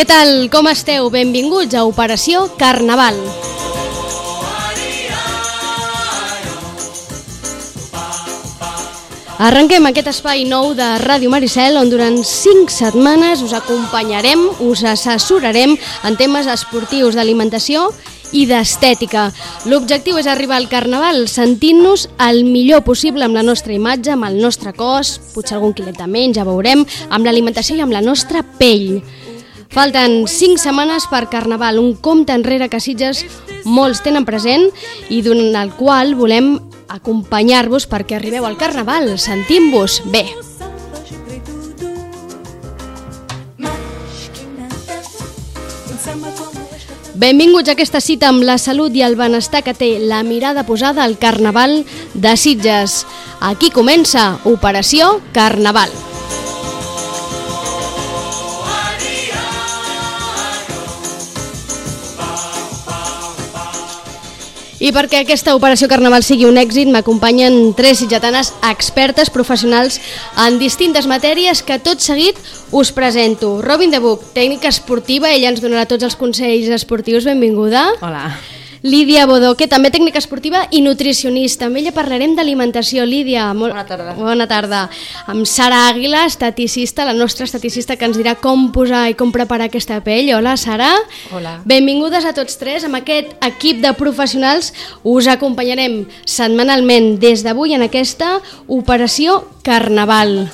Què tal, com esteu? Benvinguts a Operació Carnaval. Arrenquem aquest espai nou de Ràdio Maricel, on durant 5 setmanes us acompanyarem, us assessorarem en temes esportius, d'alimentació i d'estètica. L'objectiu és arribar al Carnaval sentint-nos el millor possible amb la nostra imatge, amb el nostre cos, potser algun quilet de menys, ja veurem, amb l'alimentació i amb la nostra pell. Falten 5 setmanes per Carnaval, un compte enrere que a Sitges molts tenen present i durant el qual volem acompanyar-vos perquè arribeu al Carnaval sentint-vos bé. Benvinguts a aquesta cita amb la salut i el benestar que té la mirada posada al Carnaval de Sitges. Aquí comença Operació Carnaval. I perquè aquesta Operació Carnaval sigui un èxit, m'acompanyen 3 sitgetanes expertes professionals en distintes matèries que tot seguit us presento. Robin de Buc, tècnica esportiva, ella ens donarà tots els consells esportius, benvinguda. Hola. Lídia Bodó, que també tècnica esportiva i nutricionista. Amb ella parlarem d'alimentació. Lídia, Bona tarda. Bona tarda. Amb Sara Àguila, esteticista, la nostra esteticista, que ens dirà com posar i com preparar aquesta pell. Hola, Sara. Hola. Benvingudes a tots 3. Amb aquest equip de professionals us acompanyarem setmanalment des d'avui en aquesta Operació Carnaval.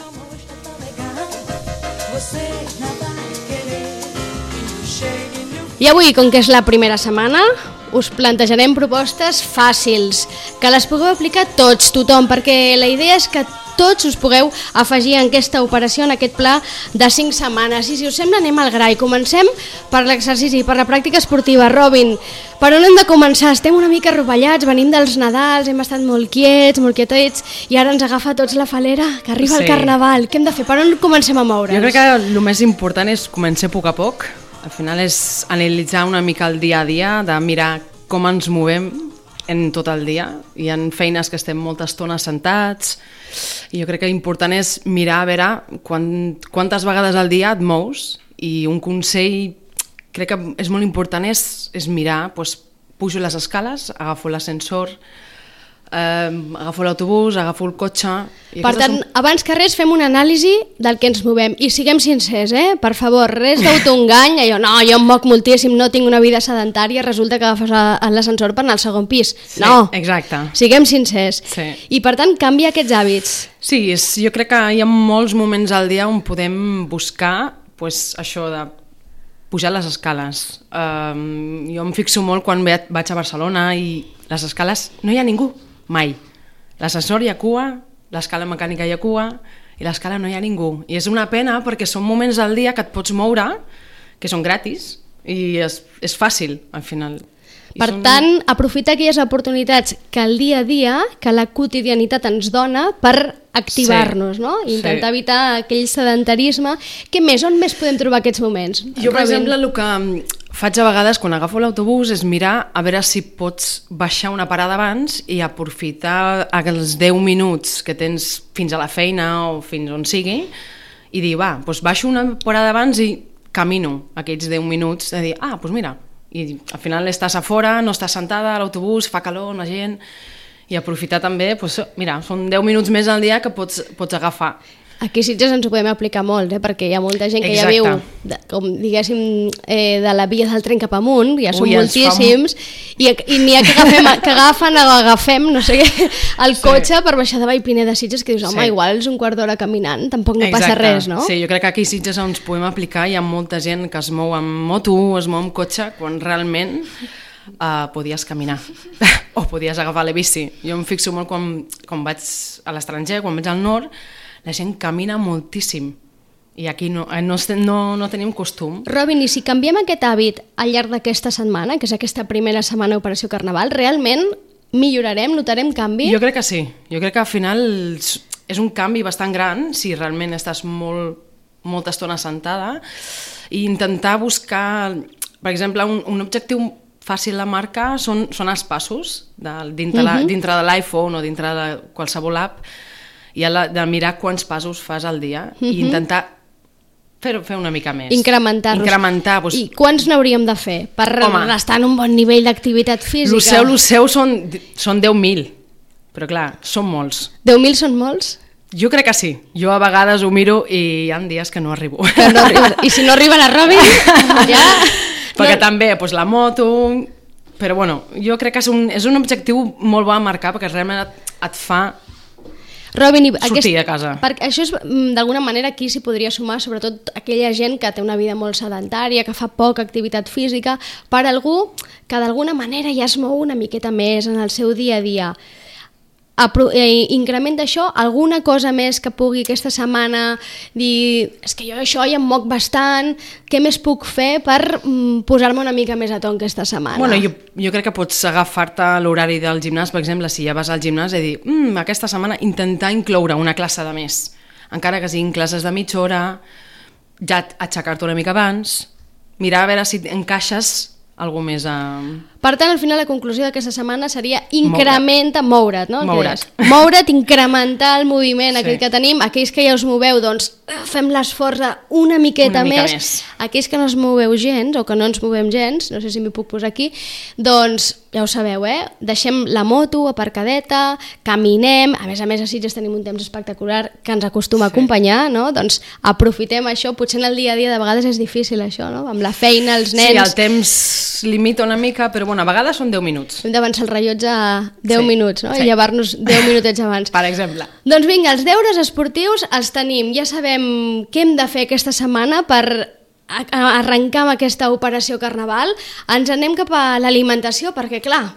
I avui, com que és la primera setmana, us plantejarem propostes fàcils, que les pugueu aplicar tots, tothom, perquè la idea és que tots us pugueu afegir en aquesta operació, en aquest pla de 5 setmanes. I si us sembla, anem al gra i comencem per l'exercici, per la pràctica esportiva. Robin, per on hem de començar? Estem una mica rovellats, venim dels Nadals, hem estat molt quiets, molt quietets, i ara ens agafa a tots la falera, que arriba el Carnaval. Què hem de fer? Per on comencem a moure'ns? Jo crec que el més important és començar a poc a poc. Al final és analitzar una mica el dia a dia, de mirar com ens movem en tot el dia. Hi ha feines que estem molta estona sentats i jo crec que l'important és mirar a veure quantes vegades al dia et mous, i un consell crec que és molt important és mirar, doncs, pujo les escales, agafo l'ascensor, agafo l'autobús, agafo el cotxe... Per tant, abans que res fem una anàlisi del que ens movem i siguem sincers, per favor, res d'autoengany, allò, no, jo em moc moltíssim, no tinc una vida sedentària, resulta que agafes l'ascensor per anar al segon pis. Sí, no, exacte. Siguem sincers. Sí. I per tant, canvia aquests hàbits. Sí, jo crec que hi ha molts moments al dia on podem buscar això de pujar les escales. Jo em fixo molt quan vaig a Barcelona i les escales no hi ha ningú. Mai. L'ascensor hi ha cua, l'escala mecànica hi ha cua i l'escala no hi ha ningú. I és una pena perquè són moments al dia que et pots moure, que són gratis i és fàcil al final. Per tant, aprofitar aquelles oportunitats que el dia a dia, que la quotidianitat ens dona per activar-nos, no? I intentar evitar aquell sedentarisme. Què més? On més podem trobar aquests moments? Jo, per exemple, el que faig a vegades quan agafo l'autobús és mirar a veure si pots baixar una parada abans i aprofitar els 10 minuts que tens fins a la feina o fins on sigui i dir, doncs baixo una parada abans i camino aquests 10 minuts de dir, doncs mira, i al final estàs a fora, no estàs sentada a l'autobús, fa calor, la gent, i aprofitar també, mira, són 10 minuts més al dia que pots agafar. Aquí a Sitges ens ho podem aplicar molt, perquè hi ha molta gent que ja viu, com diguéssim, de la via del tren cap amunt, ja són moltíssims, i n'hi ha que agafem, no sé què, el cotxe per baixar de Vallpiner de Sitges, que dius, home, igual és un quart d'hora caminant, tampoc no passa res, no? Sí, jo crec que aquí a Sitges ens podem aplicar, hi ha molta gent que es mou amb moto, es mou amb cotxe, quan realment podies caminar o podies agafar la bici. Jo em fixo molt quan vaig a l'estranger, quan vaig al nord, la gent camina moltíssim i aquí no tenim costum. Robin, i si canviem aquest hàbit al llarg d'aquesta setmana, que és aquesta primera setmana d'Operació Carnaval, realment millorarem, notarem canvi? Jo crec que sí. Jo crec que al final és un canvi bastant gran si realment estàs molta estona sentada, i intentar buscar, per exemple, un objectiu fàcil de marcar són els passos dintre de l'iPhone o dintre de qualsevol app, i de mirar quants passos fas al dia i intentar fer una mica més. Incrementar-los. Incrementar. I quants n'hauríem de fer per estar en un bon nivell d'activitat física? Lo seu són 10.000, però clar, són molts. 10.000 són molts? Jo crec que sí. Jo a vegades ho miro i hi ha dies que no arribo. I si no arriba la Robin, ja... Perquè també, la moto... Però bueno, jo crec que és un objectiu molt bo a marcar perquè realment et fa Robin, sortir de casa. Perquè això és, d'alguna manera, aquí s'hi podria sumar, sobretot aquella gent que té una vida molt sedentària, que fa poca activitat física, per algú que d'alguna manera ja es mou una miqueta més en el seu dia a dia. Incrementa això, alguna cosa més que pugui aquesta setmana dir, és que jo això ja em moc bastant, què més puc fer per posar-me una mica més a to aquesta setmana? Bueno, jo crec que pots agafar-te l'horari del gimnàs, per exemple, si ja vas al gimnàs i dir, aquesta setmana intentar incloure una classe de més, encara que siguin classes de mitja hora, ja aixecar-te una mica abans, mirar a veure si encaixes algú més a... Per tant, al final la conclusió d'aquesta setmana seria moure't, no? Moure't, incrementar el moviment aquell que tenim. Aquells que ja us moveu, doncs fem l'esforç una miqueta més. Aquells que no es moveu gens o que no ens movem gens, no sé si m'hi puc posar aquí, doncs ja ho sabeu, deixem la moto aparcadeta, caminem, a més a Sitges tenim un temps espectacular que ens acostuma a acompanyar, no? Doncs aprofitem això, potser en el dia a dia de vegades és difícil això, no? Amb la feina, els nens... Sí, el temps limita una mica, però bueno, a vegades són 10 minuts. Hem d'avançar el rellotge a 10 minuts, no? I llevar-nos 10 minutets abans. Per exemple. Doncs vinga, els deures esportius els tenim. Ja sabem què hem de fer aquesta setmana per arrencar amb aquesta operació Carnaval. Ens anem cap a l'alimentació, perquè clar,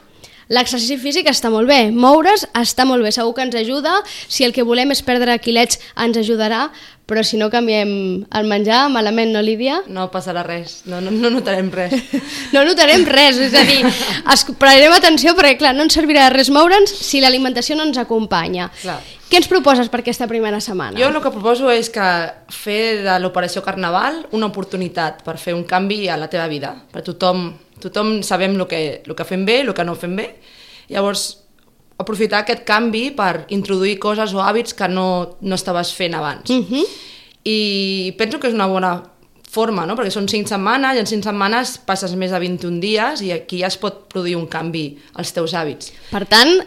l'exercici físic està molt bé, moure's està molt bé, segur que ens ajuda, si el que volem és perdre quilets ens ajudarà, però si no canviem el menjar, malament, no, Lídia? No passarà res, no notarem res. No notarem res, és a dir, pararem atenció perquè, clar, no ens servirà de res moure'ns si l'alimentació no ens acompanya. Clar. Què ens proposes per aquesta primera setmana? Jo el que proposo és que fer de l'operació Carnaval una oportunitat per fer un canvi a la teva vida, per tothom sabem el que fem bé, el que no fem bé, llavors aprofitar aquest canvi per introduir coses o hàbits que no estaves fent abans. I penso que és una bona forma, no? Perquè són 5 setmanes i en 5 setmanes passes més de 21 dies i aquí ja es pot produir un canvi als teus hàbits. Per tant,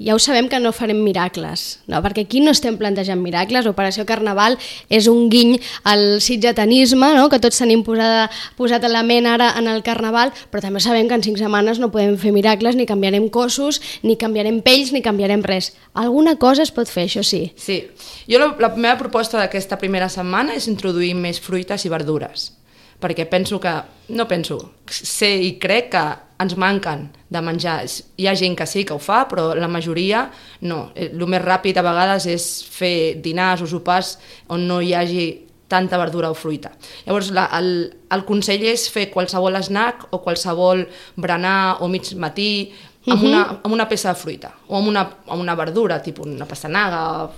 ja ho sabem que no farem miracles, no? Perquè aquí no estem plantejant miracles. Operació Carnaval és un guiny al sitgetanisme, no? Que tots tenim posat a la ment ara en el Carnaval, però també sabem que en 5 setmanes no podem fer miracles, ni canviarem cossos, ni canviarem pells, ni canviarem res. Alguna cosa es pot fer, això sí. Sí. Jo la meva proposta d'aquesta primera setmana és introduir més fruites i verdures, perquè sé i crec que ens manquen de menjar. Hi ha gent que sí que ho fa, però la majoria no. El més ràpid a vegades és fer dinars o sopars on no hi hagi tanta verdura o fruita. Llavors el consell és fer qualsevol snack o qualsevol berenar o mig matí amb una peça de fruita o amb una verdura, tipus una pastanaga.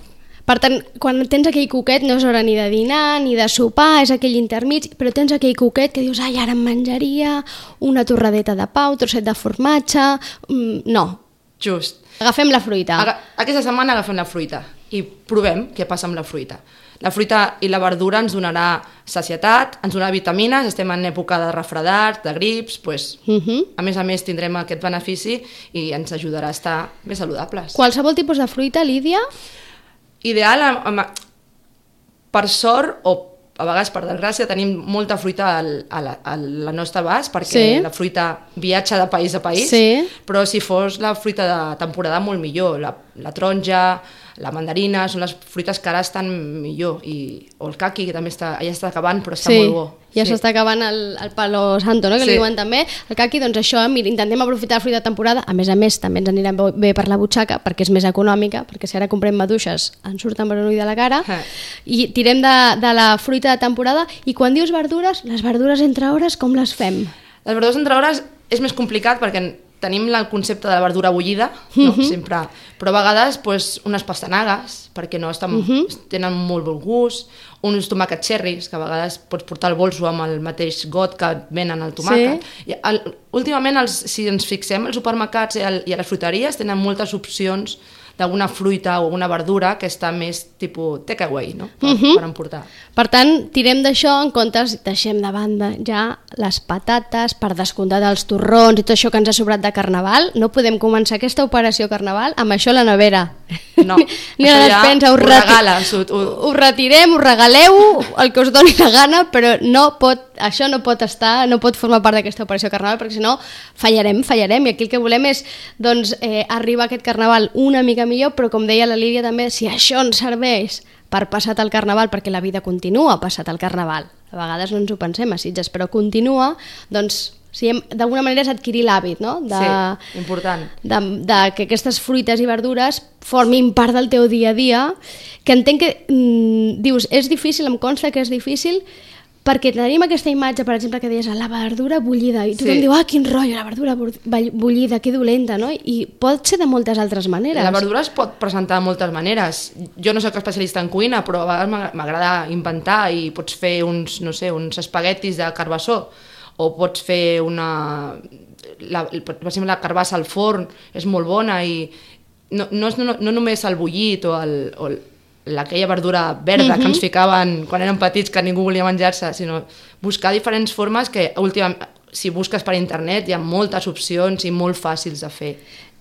Per tant, quan tens aquell coquet no és hora ni de dinar ni de sopar, és aquell intermig, però tens aquell coquet que dius, ai, ara em menjaria una torradeta de pa, un trosset de formatge... No. Just. Agafem la fruita. Aquesta setmana agafem la fruita i provem què passa amb la fruita. La fruita i la verdura ens donarà sacietat, ens donarà vitamines, estem en època de refredar, de grips, a més tindrem aquest benefici i ens ajudarà a estar més saludables. Qualsevol tipus de fruita, Lídia? Ideal, per sort o a vegades per desgràcia tenim molta fruita a la nostra abast perquè la fruita viatja de país a país, però si fos la fruita de temporada molt millor, la taronja, la mandarina, són les fruites que ara estan millor, o el caqui, que també ja està acabant, però està molt bo. Ja s'està acabant el palo santo, no? Que li diuen també. El caqui, doncs això, intentem aprofitar la fruita de temporada, a més també ens anirà bé per la butxaca, perquè és més econòmica, perquè si ara comprem maduixes ens surten per un ull de la cara, i tirem de la fruita de temporada. I quan dius verdures, les verdures entre hores, com les fem? Les verdures entre hores és més complicat perquè tenim el concepte de la verdura bullida, no? Sempre, però a vegades unes pastanagues, perquè no tenen molt bon gust, uns tomàquets cherries, que a vegades pots portar el bolso amb el mateix got que venen el tomàquet. Últimament, si ens fixem, els supermercats i a les fruiteries tenen moltes opcions d'alguna fruita o alguna verdura que està més tipus takeaway, no? Per emportar. Per tant, tirem d'això en comptes, deixem de banda ja les patates, per descomptat els torrons i tot això que ens ha sobrat de Carnaval. No podem començar aquesta operació Carnaval amb això a la nevera. No, ni a la despensa, ho regales. Ho retirem, ho regaleu, el que us doni la gana, però això no pot estar, no pot formar part d'aquesta operació Carnaval, perquè si no fallarem, i aquí el que volem és doncs, arribar a aquest Carnaval una mica millor, però com deia la Lídia també, si això ens serveix per passat el Carnaval, perquè la vida continua passat el Carnaval, a vegades no ens ho pensem a Sitges, però continua, doncs d'alguna manera és adquirir l'hàbit, no? Sí, important. De que aquestes fruites i verdures formin part del teu dia a dia, que entenc que dius, és difícil, em consta que és difícil, perquè tenim aquesta imatge, per exemple, que deies, la verdura bullida, i tothom diu, quin rotllo, la verdura bullida, que dolenta, no? I pot ser de moltes altres maneres. La verdura es pot presentar de moltes maneres. Jo no soc especialista en cuina, però a vegades m'agrada inventar i pots fer uns espaguetis de carbassó, o pots fer per exemple, la carbassa al forn és molt bona i no només el bullit o aquella verdura verda que ens ficaven quan érem petits que ningú volia menjar-se, sinó buscar diferents formes que últimament, si busques per internet, hi ha moltes opcions i molt fàcils de fer.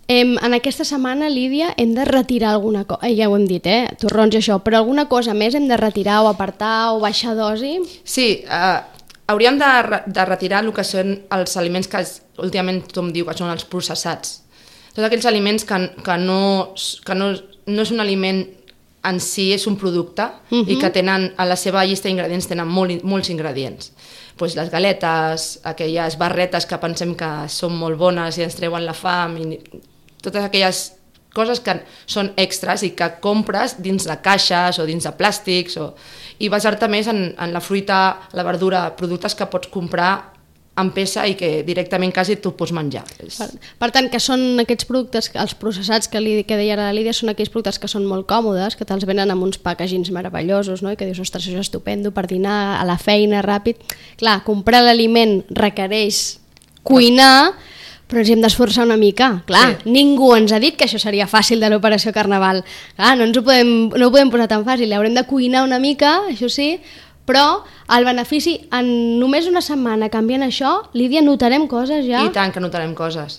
En aquesta setmana, Lídia, hem de retirar alguna cosa, ja ho hem dit, torrons i això, però alguna cosa més hem de retirar o apartar o baixar dosi? Sí, hauríem de retirar el que són els aliments que últimament tothom diu que són els processats. Tots aquells aliments que no és un aliment en si, és un producte i que tenen, a la seva llista d'ingredients tenen molts ingredients. Pues les galetes, aquelles barretes que pensem que són molt bones i ens treuen la fam, i totes aquelles coses que són extras i que compres dins de caixes o dins de plàstics i basar-te més en la fruita, la verdura, productes que pots comprar en peça i que directament quasi tu pots menjar. Per tant, que són aquests productes, els processats que deia la Lídia, són aquells productes que són molt còmodes, que te'ls venen amb uns packagings meravellosos, no? I que dius, ostres, això és estupendo per dinar, a la feina, ràpid. Clar, comprar l'aliment requereix cuinar, però ens hem d'esforçar una mica. Clar, ningú ens ha dit que això seria fàcil de l'operació Carnaval. Clar, no ho podem posar tan fàcil, haurem de cuinar una mica, això sí, però el benefici, en només una setmana canviant això, Lídia, notarem coses ja? I tant que notarem coses.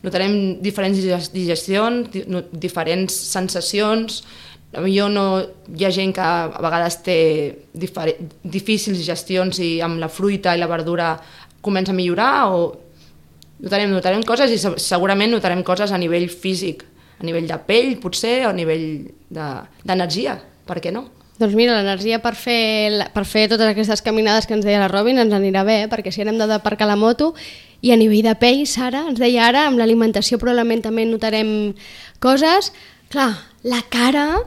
Notarem diferents digestions, diferents sensacions. Hi ha gent que a vegades té difícils digestions i amb la fruita i la verdura comença a millorar o notarem coses i segurament notarem coses a nivell físic, a nivell de pell potser o a nivell d'energia, per què no? Doncs mira, l'energia per fer totes aquestes caminades que ens deia la Robin ens anirà bé, perquè si hem d'aparcar la moto, i a nivell de pell, Sara, ens deia ara, amb l'alimentació probablement també notarem coses. Clar, la cara,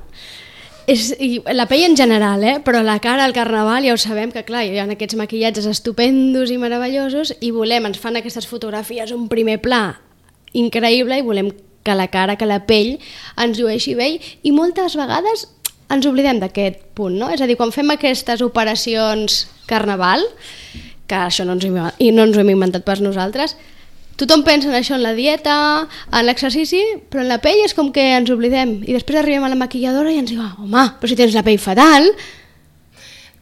i la pell en general, però la cara al Carnaval ja ho sabem que clar, hi ha aquests maquillatges estupendos i meravellosos i ens fan aquestes fotografies, un primer pla increïble i volem que la cara, que la pell ens llueixi bé i moltes vegades ens oblidem d'aquest punt, no? És a dir, quan fem aquestes operacions Carnaval, que això no ens ho hem inventat pas nosaltres, tothom pensa en això, en la dieta, en l'exercici, però en la pell és com que ens oblidem. I després arribem a la maquilladora i ens diu, home, però si tens la pell fatal.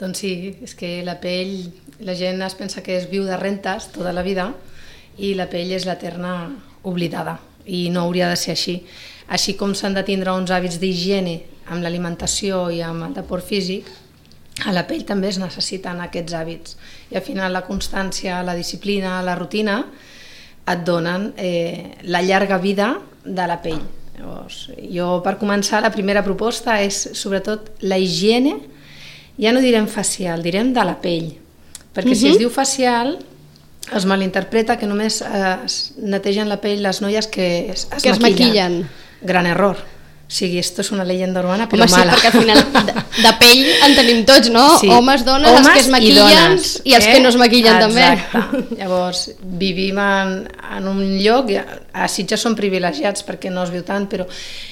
Doncs sí, és que la pell, la gent es pensa que es viu de rentes tota la vida i la pell és l'eterna oblidada i no hauria de ser així. Així com s'han de tindre uns hàbits d'higiene amb l'alimentació i amb el deport físic, a la pell també es necessiten aquests hàbits. I al final la constància, la disciplina, la rutina et donen la llarga vida de la pell. Llavors, jo, per començar, la primera proposta és sobretot la higiene, ja no direm facial, direm de la pell. Perquè si es diu facial, es malinterpreta que només es netegen la pell les noies que es maquillen. Gran error. O sigui, esto és una leyenda urbana, però mala. Sí, perquè al final de pell en tenim tots, no? Sí. Homes, dones, els que es maquillen i els que no es maquillen també. Exacte. Llavors, vivim en un lloc, a Sitges som privilegiats perquè no es viu tant, però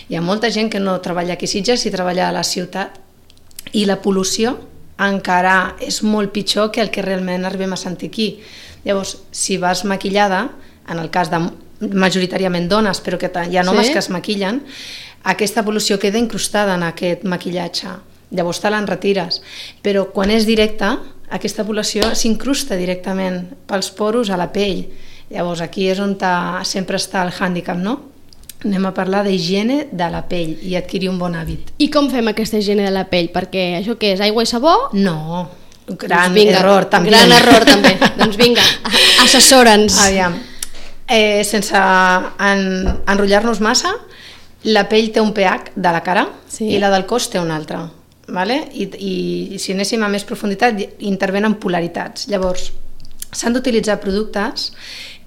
hi ha molta gent que no treballa aquí a Sitges i treballa a la ciutat i la pol·lució encara és molt pitjor que el que realment arribem a sentir aquí. Llavors, si vas maquillada, en el cas de majoritàriament dones, però que hi ha homes que es maquillen, aquesta pol·lució queda incrustada en aquest maquillatge. Llavors te l'enretires. Però quan és directa, aquesta pol·lució s'incrusta directament pels poros a la pell. Llavors aquí és on sempre està el hàndicap, no? Anem a parlar d'higiene de la pell i adquirir un bon hàbit. I com fem aquesta higiene de la pell? Perquè això què és, aigua i sabó? No, gran error també. Gran error també. Doncs vinga, assessora'ns. Aviam, sense enrotllar-nos massa, la pell té un pH de la cara i la del cos té un altre. Vale? I si anéssim a més profunditat, intervenen polaritats. Llavors, s'han d'utilitzar productes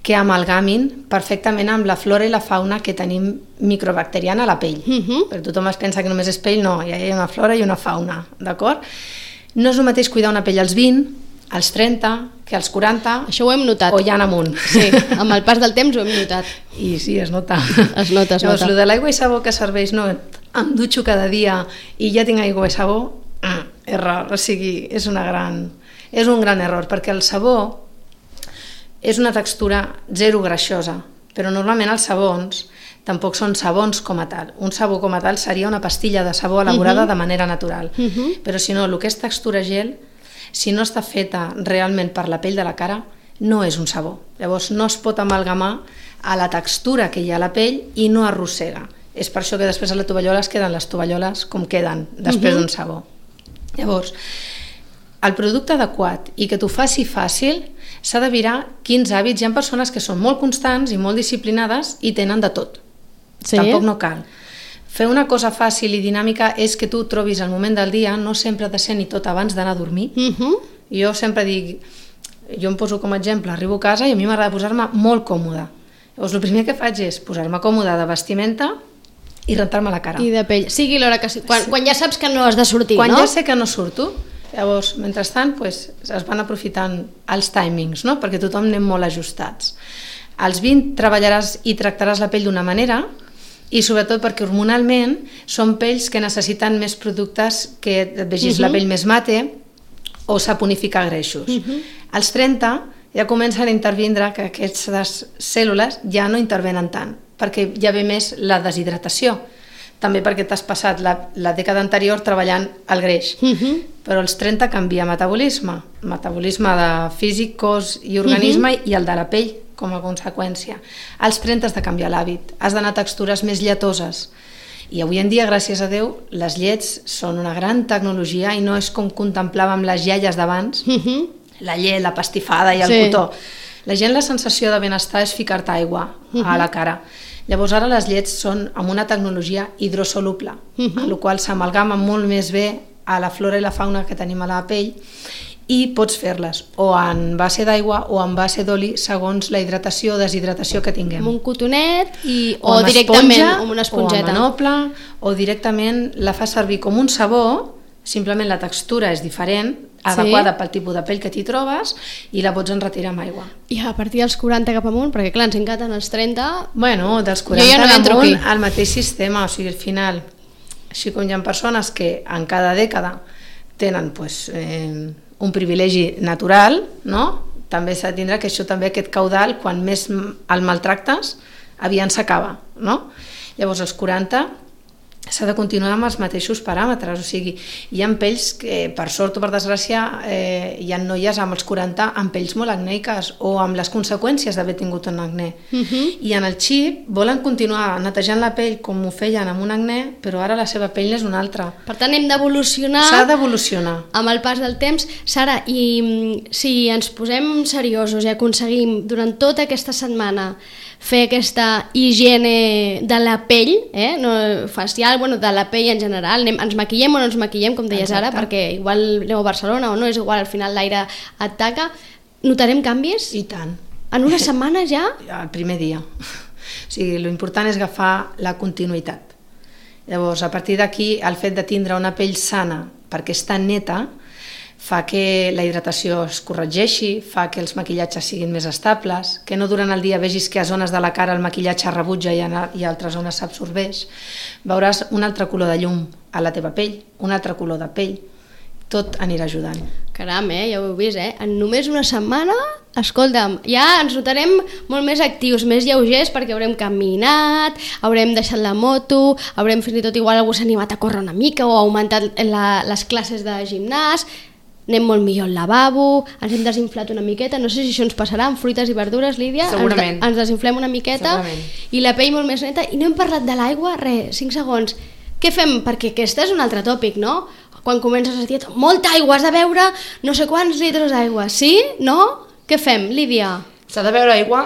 que amalgamin perfectament amb la flora i la fauna que tenim microbacteriana a la pell. Perquè tothom es pensa que només és pell, no, hi ha una flora i una fauna, d'acord? No és el mateix cuidar una pell als 20, als 30, que als 40... Això ho hem notat. O ja en amunt. Sí, amb el pas del temps ho hem notat. I sí, es nota. Es nota, es nota. Llavors, de l'aigua i sabó que serveix, no, em dutxo cada dia i ja tinc aigua i sabó, error, o sigui, és un gran error, perquè el sabó és una textura zero greixosa, però normalment els sabons tampoc són sabons com a tal. Un sabó com a tal seria una pastilla de sabó elaborada de manera natural. Però si no, el que és textura gel, si no està feta realment per la pell de la cara, no és un sabó. Llavors no es pot amalgamar a la textura que hi ha a la pell i no arrossega. És per això que després a la tovallola es queden les tovalloles com queden després d'un sabó. Llavors, el producte adequat i que t'ho faci fàcil s'ha de mirar quins hàbits. Hi ha persones que són molt constants i molt disciplinades i tenen de tot. Sí. Tampoc no cal. Fer una cosa fàcil i dinàmica és que tu trobis el moment del dia, no sempre ha de ser ni tot abans d'anar a dormir. Jo sempre dic, jo em poso com a exemple, arribo a casa i a mi m'agrada posar-me molt còmoda. Llavors el primer que faig és posar-me còmoda de vestimenta i rentar-me la cara. I de pell, sigui l'hora que sigui. Quan ja saps que no has de sortir, no? Quan ja sé que no surto, llavors, mentrestant, es van aprofitant els timings, no? Perquè tothom anem molt ajustats. Als 20 treballaràs i tractaràs la pell d'una manera i sobretot perquè hormonalment són pells que necessiten més productes que et vegis la pell més mate o saponificar greixos. Als 30 ja comencen a intervindre que aquestes cèl·lules ja no intervenen tant, perquè ja ve més la deshidratació. També perquè t'has passat la dècada anterior treballant el greix. Però als 30 canvia metabolisme de físic, cos i organisme i el de la pell com a conseqüència. Als 30 has de canviar l'hàbit, has d'anar a textures més lletoses. I avui en dia, gràcies a Déu, les llets són una gran tecnologia i no és com contemplàvem les iaies d'abans, la llet, la pastifada i el cotó. La gent, la sensació de benestar és ficar-te aigua a la cara. Llavors ara les llets són amb una tecnologia hidrosoluble, amb la qual s'amalgama molt més bé a la flora i la fauna que tenim a la pell i pots fer-les o en base d'aigua o en base d'oli segons la hidratació o deshidratació que tinguem. Amb un cotonet o directament amb una esponjeta. O amb manople, o directament la fas servir com un sabó, simplement la textura és diferent, adequada pel tipus de pell que t'hi trobes i la pots enretirar amb aigua. I a partir dels 40 cap amunt, perquè clar, ens encanten els 30... Bueno, dels 40 cap amunt el mateix sistema, o sigui, al final, així com hi ha persones que en cada dècada tenen un privilegi natural, no? També s'ha de tindre que això també, aquest caudal, quan més el maltractes, aviat s'acaba, no? Llavors, als 40 s'ha de continuar amb els mateixos paràmetres, o sigui, hi ha pells que, per sort o per desgràcia, hi ha noies amb els 40 amb pells molt acneiques o amb les conseqüències d'haver tingut un acné. I en el xip volen continuar netejant la pell com ho feien amb un acné, però ara la seva pell és una altra. Per tant, hem d'evolucionar... S'ha d'evolucionar. Amb el pas del temps. Sara, i si ens posem seriosos i aconseguim durant tota aquesta setmana fer aquesta higiene de la pell, no facial, de la pell en general, ens maquillem o no ens maquillem, com deies ara, perquè igual anem a Barcelona o no, és igual, al final l'aire et taca, notarem canvis? I tant. En una setmana ja? El primer dia. O sigui, l'important és agafar la continuïtat. Llavors, a partir d'aquí, el fet de tindre una pell sana, perquè està neta, fa que la hidratació es corregeixi, fa que els maquillatges siguin més estables, que no durant el dia vegis que a zones de la cara el maquillatge rebutja i a altres zones s'absorbeix. Veuràs un altre color de llum a la teva pell, un altre color de pell. Tot anirà ajudant. Caram, ja ho heu vist, en només una setmana, escolta'm, ja ens notarem molt més actius, més lleugers, perquè haurem caminat, haurem deixat la moto, haurem fins i tot igual algú s'ha animat a córrer una mica o ha augmentat les classes de gimnàs, anem molt millor al lavabo, ens hem desinflat una miqueta, no sé si això ens passarà amb fruites i verdures, Lídia. Segurament. Ens desinflem una miqueta. Segurament. I la pell molt més neta. I no hem parlat de l'aigua, 5 segons. Què fem? Perquè aquest és un altre tòpic, no? Quan comences a dir molta aigua, has de beure no sé quants litres d'aigua. Sí? No? Què fem, Lídia? S'ha de beure aigua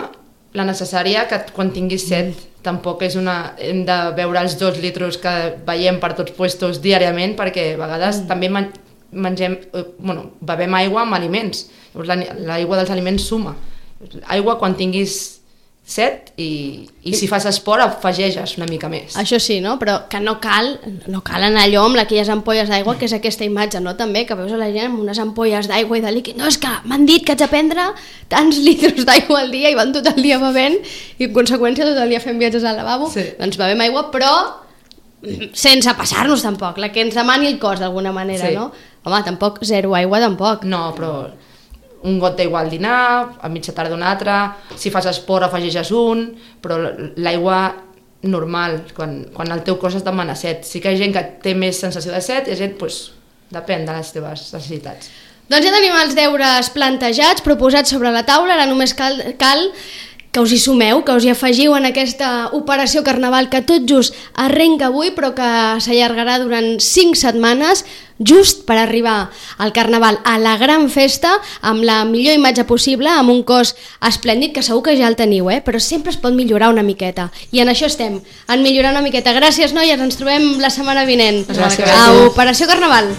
la necessària que quan tinguis set. Tampoc és hem de beure els 2 litres que veiem per tots puestos diàriament, perquè a vegades també bevem aigua amb aliments. L'aigua dels aliments suma. Aigua quan tinguis set i si fas esport afegeixes una mica més. Això sí, no? Però que no cal anar allò amb aquelles ampolles d'aigua, que és aquesta imatge, no? També, que veus a la gent amb unes ampolles d'aigua i de líquid. No, és que m'han dit que haig de prendre tants litres d'aigua al dia i van tot el dia bevent i en conseqüència tot el dia fent viatges al lavabo. Sí. Doncs bevem aigua, però sense passar-nos tampoc, la que ens demani el cos d'alguna manera, sí. No? Home, tampoc zero aigua tampoc. No, però un got d'aigua al dinar, a mitja tarda un altre, si fas esport afegeixes un, però l'aigua normal, quan el teu cos es demana set. Sí que hi ha gent que té més sensació de set i hi ha gent, doncs, depèn de les teves necessitats. Doncs ja tenim els deures plantejats, proposats sobre la taula, ara només cal que us hi sumeu, que us hi afegiu en aquesta operació Carnaval que tot just arrenca avui però que s'allargarà durant 5 setmanes just per arribar al Carnaval, a la gran festa, amb la millor imatge possible, amb un cos esplèndid, que segur que ja el teniu, però sempre es pot millorar una miqueta. I en això estem, en millorar una miqueta. Gràcies, noies, ens trobem la setmana vinent. Gràcies. A Operació Carnaval.